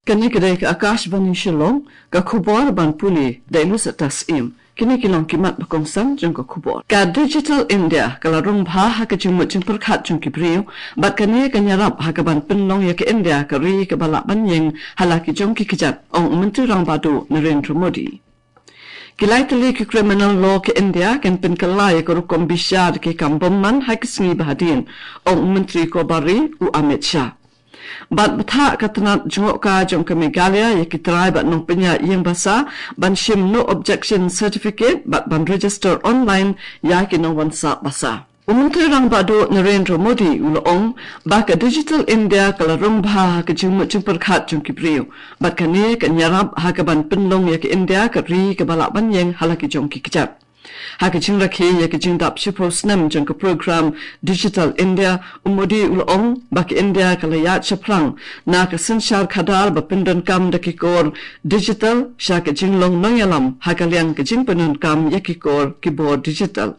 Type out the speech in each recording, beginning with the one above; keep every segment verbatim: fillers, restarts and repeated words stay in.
Kane ka dei ka Akashvani Shillong, ka khubor ban pule da i Lucetta Syiem. Kine ki long ki mat ba kongsan jong ka khubor. Ka Digital India ka la rung bha ha ka jingmut jingpyrkhat jong ki briew, bad kane kan ïarap ha ka ban pynlong ïa ka India ka ri kaba lah ban ïeng ha la ki jong ki kjat, ong u Myntri Rangbah Duh Narendra Modi. Ki lai tylli ki criminal law ka India kan pynkylla ïa ka rukom bishar ki kam bymman ha ki sngi ba hadien, ong u Myntri Kobar Ri u Amit Shah. Bad bthah ka tnat jngohkai jong ka Meghalaya ïa ki trai bad nongpynïaid ïing basa ban shim no objection certificate bad ban register online ïa ki nongwan sah basa. U Myntri Rangbah Duh Narendra Modi u la ong ba ka Digital India ka la rung bha ha ka jingmut jingpyrkhat jong ki briew, bad kane kan ïarap ha ka ban pynlong ïa ka India ka ri kaba lah ban ïeng ha la ki jong ki kjat. Ha ka jingrakhe ïa ka jingdap shiphew snem jong ka program Digital India, u Modi u la ong ba ka India ka la ïaid shaphrang na ka synshar khadar ba pyndonkam da ki kor digital sha ka jinglong nongïalam ha ka liang ka jingpyndonkam ïa ki kor ki bor digital.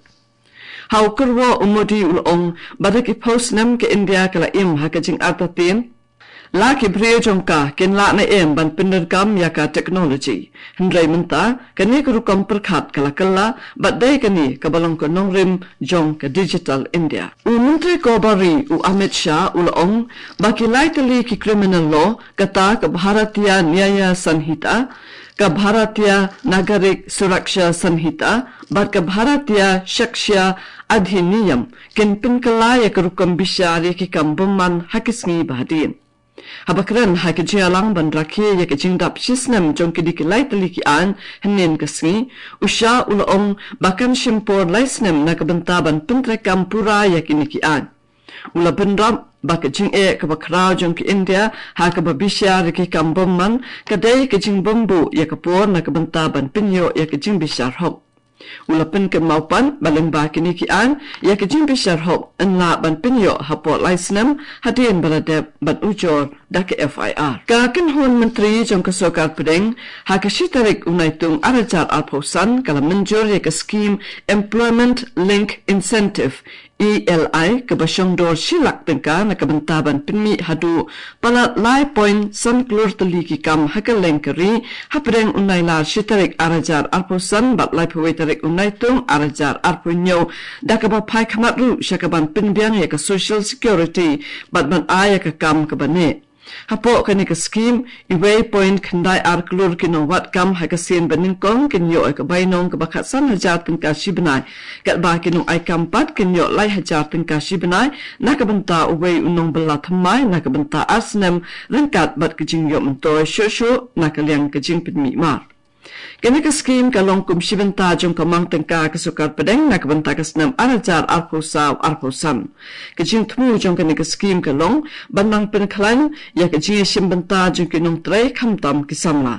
Ha u kyrwoh, u Modi u la ong ba da ki phew snem ka India ka la im ha ka jingartatien. La ki briew jong ka kin lah ne em ban pyndonkam ïa ka technology. Hynrei mynta kane ka rukom pyrkhat ka la kylla, bad dei kane kaba long ka nongrim jong ka Digital India. U Myntri Kobar Ri u Amit Shah u la ong ba ki lai tylli ki criminal law, kata ka Bharatiya Nyaya Sanhita, ka Bharatiya Nagarik Suraksha Sanhita bad ka Bharatiya Sakshya Adhiniyam, kin pynkylla ïa ka rukom bishar ïa ki kam bymman ha ki sngi ba hadien. Haba kren ha ka jingïalang ban rakhe ïa ka jingdap shi snem jong kine ki lai tylli ki aiñ hynnin ka sngi, u Shah u la ong ba kan shim por lai snem na ka bynta ban pyntreikam pura ïa kine ki aiñ. U la bynrap ba ka jingeh kaba khraw jong ka India ha kaba bishar ïa ki kam bymman ka dei ka jingbymbuh ïa ka por na ka bynta ban pynïoh ïa ka jingbishar hok. U la pynkynmaw pat ba lyngba kine ki aiñ ïa ka jingbishar hok yn lah ban pynïoh hapoh lai snem hadien ba la dep ban ujor da ka F I R. Ka kynhun myntri jong ka sorkar pdeng ha ka shi tarik u Naitung ar hajar arphew san ka la mynjur ïa ka skim Employment Link Incentive, E L I, kaba shong dor shi lak tyngka na ka bynta ban pynmih haduh palat lai point san klur tylli ki kam ha kylleng ka ri hapdeng u Nailar shi tarik ar hajar arphew san bad laiphew wei tarik u Naitung ar hajar arphew hynñiew, da kaba phai khmat ruh sha ka ban pynbiang ïa ka social security bad ban ai ïa ka kam kaba neh. Hapoh kane ka skim, iwei point khyndai ar klur ki nongwad kam ha ka sien banyngkong kin ïoh ïa ka bainong kaba khatsan hajar tyngka shi bnai, katba ki nongai kam pat kin ïoh lai hajar tyngka shi bnai na ka bynta uwei u nongbylla thymmai na ka bynta ar snem, ryngkat bad ka jingïoh myntoi shuh shuh na ka liang ka jingpynmih mar. Kane ka skim ka long kum shi bynta jong ka mang tyngka ka sorkar pdeng na ka bynta ka snem ar hajar arphew saw arphew san. Ka jingthmu jong kane ka skim ka long ban nang pynkhlaiñ ïa ka jingïashim bynta jong ki nongtrei khamtam ki samla.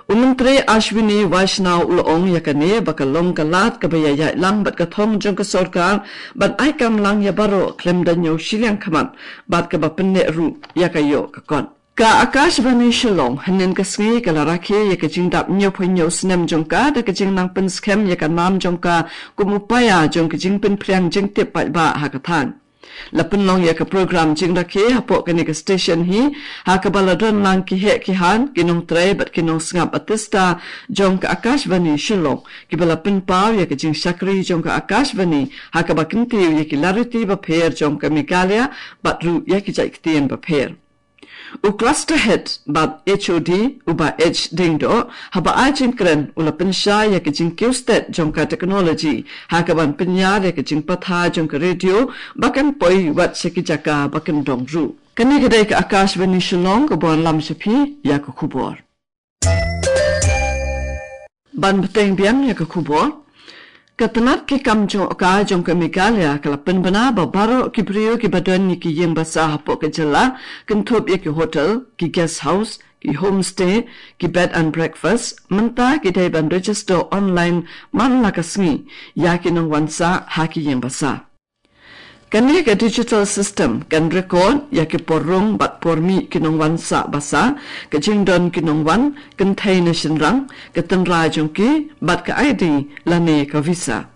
U Myntri Ashwini Vaishnaw u la ong ïa kane ba ka long ka lad kaba ïaïaid lang bad ka thong jong ka sorkar ban ai kam lang ïa baroh khlem da ñiew shiliang khmat, bad kaba pynneh ruh ïa ka ïoh ka kot. Ka Akashvani Shillong hynnin ka sngi ka la rakhe ïa ka jingdap hynñiewphew hynñiew snem jong ka da ka jingnang pynskhem ïa ka nam jong ka kum u paia jong ka jingpynphriang jingtip paidbah ha ka thaiñ. La pynlong ïa ka program jingrakhe hapoh kane ka station hi ha kaba la don lang ki heh ki haiñ, ki nongtrei bad ki nongsngap artista jong ka Akashvani Shillong, kiba la pynpaw ïa ka jingshakri jong ka Akashvani ha kaba kyntiew ïa ki lariti bapher jong ka Meghalaya bad ruh ïa ki jait ktien bapher. U Cluster Head bad H O D, u Bah H Diengdoh, haba ai jingkren u la pynshai ïa ka jingkiew stet jong ka technology ha kaban pynïar ïa ka jingpathai jong ka radio ba kan poi wat sha ki jaka ba kyndong ruh. Kane ka dei ka Akashvani Shillong kaba wanlam sha phi ïa ka khubor. Ban bteng biang ïa ka khubor. Ka tnat ki kam jngohkai jong ka Meghalaya ka la pynbna ba baroh ki briew kiba don ïa ki ïing basa hapoh ka jylla, kynthup ïa ki hotel, ki guest house, ki homestay, ki bed and breakfast, mynta ki dei ban register online man la ka sngi ïa ki nongwan sah ha ki ïing basa. Kane ka digital system kan record ïa ki por rung bad por mih ki nongwan sah basa, ka jingdon ki nongwan, kynthei ne shynrang, ka tynrai jong ki bad ka I D lane ka visa.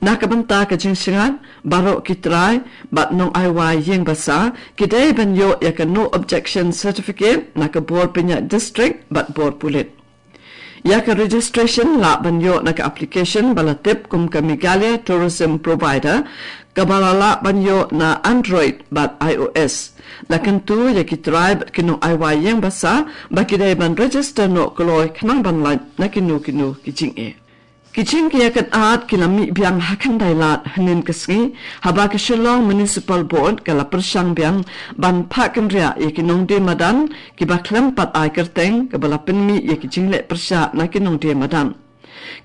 Na ka bynta ka jingshngaiñ, baroh ki trai bad nongai wai ïing basa ki dei ban ïoh ïa ka no objection certificate na ka bor pynïaid district bad bor pulit. Ïa ka registration lah ban ïoh na ka application ba la tip kum ka Meghalaya Tourism Provider, kaba la lah ban ïoh na Android bad iOS. La kyntu ïa ki trai bad ki nongai wai ïing basa ba ki dei ban register noh kloi khnang ban lait na kino kino ki jingeh. Ki jingeh ka jaka ki la mih biang ha khyndai lad hynnin ka sngi, haba ka Shillong Municipal Board ka la pyrshang biang ban phah kynriah ïa ki nongdie madan kiba khlem pat ai kyrteng, kaba la pynmih ïa ki jingleh pyrshah na ki nongdie madan.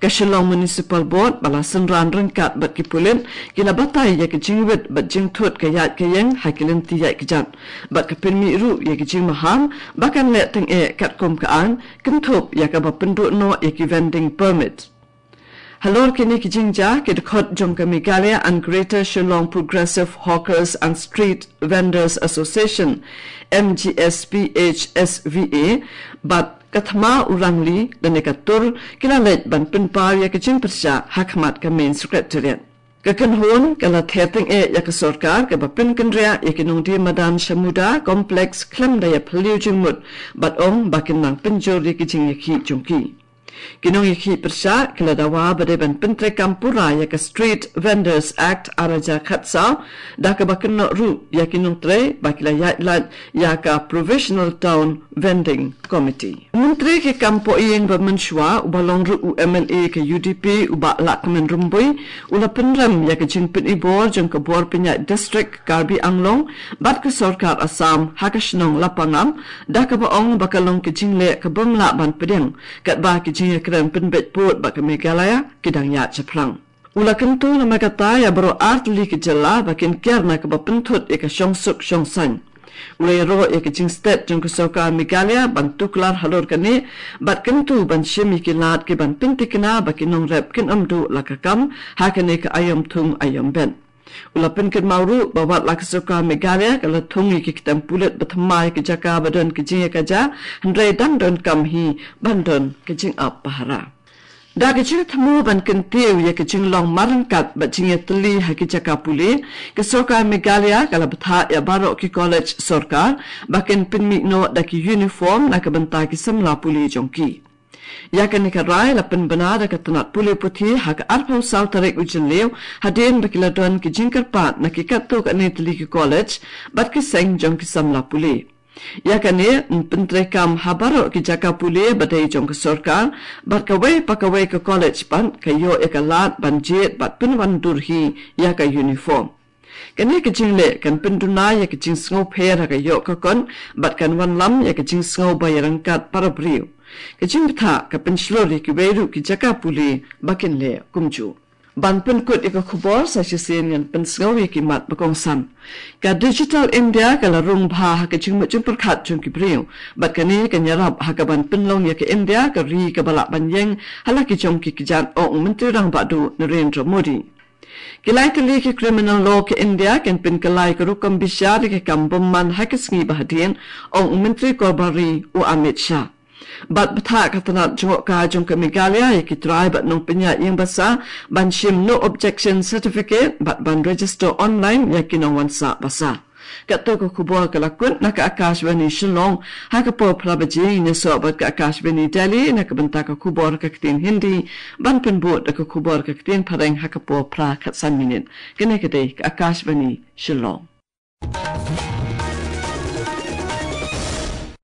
Ka Shillong Municipal Board ba la synran ryngkat bad ki pulit ki la batai ïa ki jingwit bad jingthut ka ïaid ka ïeng ha ki lynti ïaid kjat, bad ka pynmih ruh ïa ki jingmaham ba kan leh tyngeh katkum ka aiñ, kynthup ïa kaba pynduh noh ïa ki vending permit. Halor kine ki jingjia, ki dkhot jong ka Meghalaya and Greater Shillong Progressive Hawkers and Street Vendors Association, M G S P H S V A, bad ka thma u Rangli lane ka tur, ki la leit ban pynpaw ïa ka jingpyrshah ha khmat ka Main Secretariat. Ka kynhun ka la ther tyngeh ïa ka sorkar kaba pynkynriah ïa ki nongdie madan sha Muda Complex khlem da ïa phylliew jingmut, bad ong ba kin nang pynjur ïa ki jingïakhih jong ki. Ki nongïakhih pyrshah ki la dawa ba dei ban pyntreikam pura ïa ka Street Vendors Act ar hajar khatsaw, da kaba kynnoh ruh ïa ki nongtrei ba ki la ïaid lait ïa ka Provisional Town Vending Committee. Myntri ki kam poh ïing ba mynshuwa, uba long ruh u M L A ka U D P, u Bah Lahkmen Rymbui, u la pynrem ïa ka jingpynibor jong ka bor pynïaid district Karbi Anglong bad ka sorkar Assam ha ka shnong Lapangap, da kaba ong ba ka long ka jingleh ka bym lah ban pdiang, katba ki jingïakren pynbeit pud bad ka Meghalaya ki dang ïaid shaphrang. U la kyntu namar kata ïa baroh ar tylli ki jylla ba kin kiar na kaba pynthut ïa ka shongsuk shongsaiñ. U la ïaroh ïa ka jingstet jong ka sorkar Meghalaya ban tuklar halor kane, bad kyntu ban shim ïa ki lad kiban pynthikna ba ki nongrep kin ym duh la ka kam ha kane ka aïom thung aïom bet. U la pynkynmaw ruh ba wat la ka sorkar Meghalaya ka la thung ïa ki ktem pulit ba thymmai ïa ka jaka ba don ka jingïakajia, hynrei dang donkam hi ban don ka jingap pahara. Da ka jingthmu ban kyntiew ïa ka jinglong marryngkat bad jingïatylli ha ki jaka pule, ka sorkar Meghalaya ka la bthah ïa baroh ki college sorkar ba kin pynmih noh da ki uniform na ka bynta ki samla pule jong ki. Ïa kane ka rai la pynbna da ka tnat pule puthi ha ka arphew saw tarik u Jylliew, hadien ba ki la don ki jingkyrpad na ki katto katne tylli ki college bad ki seng jong ki samla pule. Ïa kane yn pyntreikam ha baroh ki jaka pule ba dei jong ka sorkar, bad kawei pa kawei ka college pat ka ïoh ïa ka lad ban jied bad pynwandur hi ïa ka uniform. Kane ka jingleh kan pynduna ïa ka jingsngew pher ha ka ïoh ka kot, bad kan wanlam ïa ka jingsngew ba ïaryngkat para briew. Ka jingbthah ka pynshlur ïa kiwei ruh ki jaka pule ba kin leh kumjuh. Ban pynkut ïa ka khubor sa shisien ngan pynsngew ïa ki mat ba kongsan. Ka Digital India ka la rung bha ha ka jingmut jingpyrkhat jong ki briew, bad kane kan ïarap ha kaban pynlong ïa ka India ka ri kaba lah ban ïeng ha la ki jong ki kjat, ong u Myntri Rangbah Duh Narendra Modi. Ki lai tylli ki criminal law ka India kin pynkylla ïa ka rukom bishar ïa ka kam bymman ha ka sngi ba hadien, ong u Myntri Korbar Ri u Amit Shah. Bad bthah ka tnat jngohkai jong ka Meghalaya ïa ki trai bad nongpynïaid ïing basa ban shim no objection certificate bad ban register online ïa ki nongwan sah basa. Katto ka khubor ka la kut na ka Akashvani Shillong ha ka por phra baje. Ngin ïasoh bad ka Akashvani Delhi na ka bynta ka khubor ka ktien Hindi, ban pynbud da ka khubor ka ktien Phareng ha ka por phra khatsan minit. Kane ka dei ka Akashvani Shillong.